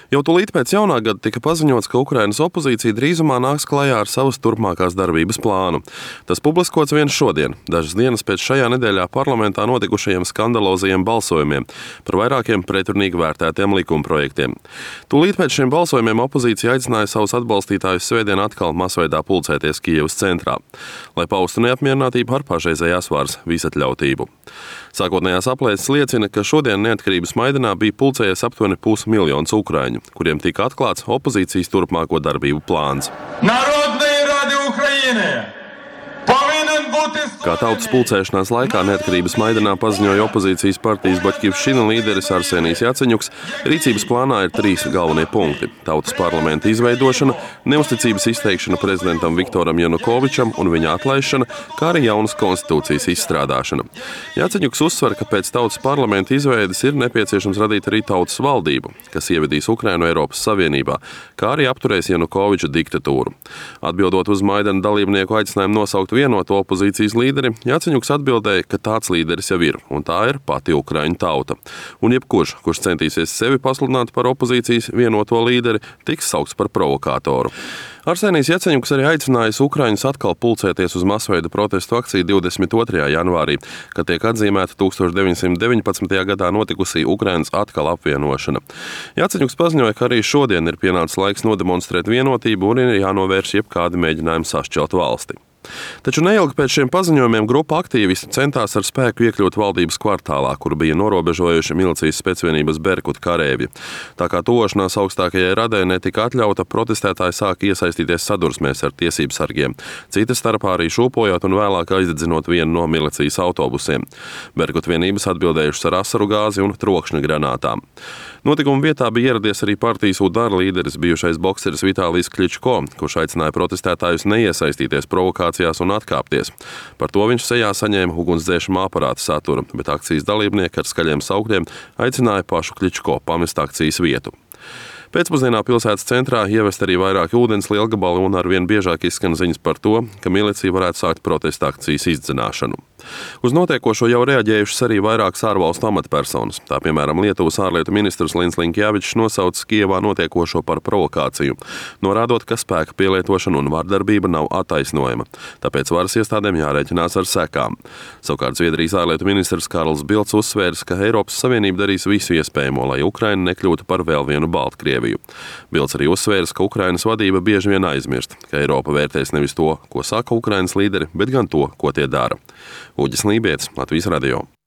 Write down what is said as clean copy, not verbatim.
Jau tūlīt pēc jaunā gada tika paziņots, ka Ukrainas opozīcija drīzumā nāks klajā ar savas turpmākās darbības plānu. Tas publiskots vien šodien, dažas dienas pēc šajā nedēļā parlamentā notikušajiem skandalozajiem balsojumiem par vairākiem pretrunīgi vērtētiem likumprojektiem. Tūlīt pēc šiem balsojumiem opozīcija aicināja savus atbalstītājus svētdien atkal masveidā pulcēties Kijevas centrā, lai paustu neapmierinātību ar pašreizējās varas visatļautību. Sākotnējās aplēses liecina, ka šodien neatkarības maidanā bija pulcējies aptuveni 500 000 ukraiņu, kuriem tika atklāts opozīcijas turpmāko darbību plāns. Kā tautas pulcēšanās laikā neatkarības maidanā paziņoja opozīcijas partijas Baļķivščina līderis Arsenijs Jaceņuks, rīcības plānā ir 3 galvenie punkti – tautas parlamenta izveidošana, neusticības izteikšana prezidentam Viktoram Janukovičam un viņa atlaišana, kā arī jaunas konstitūcijas izstrādāšana. Jaceņuks uzsver, ka pēc tautas parlamenta izveides ir nepieciešams radīt arī tautas valdību, kas ievedīs Ukrainu Eiropas Savienībā, kā arī apturēs Janukoviča diktatūru. Atbildot uz Maidana dalībnieku aicinājumu nosaukt vienoto opozīcijas līderi, Jaceņuks atbildēja, ka tāds līderis jau ir, un tā ir pati ukraiņu tauta. Un jebkurš, kurš centīsies sevi pasludināt par opozīcijas vienoto līderi, tiks saukts par provokātoru. Arsenijs Jaceņuks arī aicinājis ukraiņus atkal pulcēties uz masveida protestu akciju 22. janvārī, kad tiek atzīmēta 1919. gadā notikusī Ukrainas atkal apvienošana. Jaceņuks paziņoja, ka arī šodien ir pienācis laiks nodemonstrēt vienotību un ir jānovērš jebkādi mēģinājumi sašķelt valsti. Taču neilgi pēc šiem paziņojumiem grupa aktīvisti centās ar spēku iekļūt valdības kvartālā, kur bija norobežojuši milicijas spēcvienības Berkut karēvi. Tā kā tuvošanās augstākajai radai netika atļauta, protestētāji sāka iesaistīties sadursmēs ar tiesībsargiem, cita starpā arī šūpojot un vēlāk aizdedzinot vienu no milicijas autobusiem. Berkut vienības atbildējušas ar asaru gāzi un trokšņa granātām. Notikuma vietā bija ieradies arī partijas UDAR līderis, bijušais bokseris Vitālijs Kličko, kurš aicināja protestētājus neiesaistīties provokācijās un atkāpties. Par to viņš sejā saņēma ugunsdzēšamā aparāta saturu, bet akcijas dalībnieki ar skaļiem saukļiem aicināja pašu Kličko pamest akcijas vietu. Pēcpusdienā pilsētas centrā ievest arī vairāki ūdens lielgabali un arvien biežāk izskan ziņas par to, ka milicija varētu sākt protesta akcijas izdzināšanu. Uz notiekošo jau reaģējušas arī vairākas ārvalstu amatpersonas. Tā piemēram Lietuvas ārlietu ministrs Lins Linkjēvičs nosauca Kijevā notiekošo par provokāciju, norādot, ka spēka pielietošana un vardarbība nav attaisnojama, tāpēc varas iestādēm jārēķinās ar sekām. Savukārt Zviedrijas ārlietu ministrs Karls Bilds uzsvērs, ka Eiropas Savienība darīs visu iespējamo, lai Ukraina nekļūtu par vēl vienu Baltkrieviju. Bilds arī uzsvērs, ka Ukrainas vadība bieži vien aizmirst, ka Eiropa vērtēs nevis to, ko saka Ukrainas līderi, bet gan to, ko tie dara. Uģis Lībietis, Latvijas radio.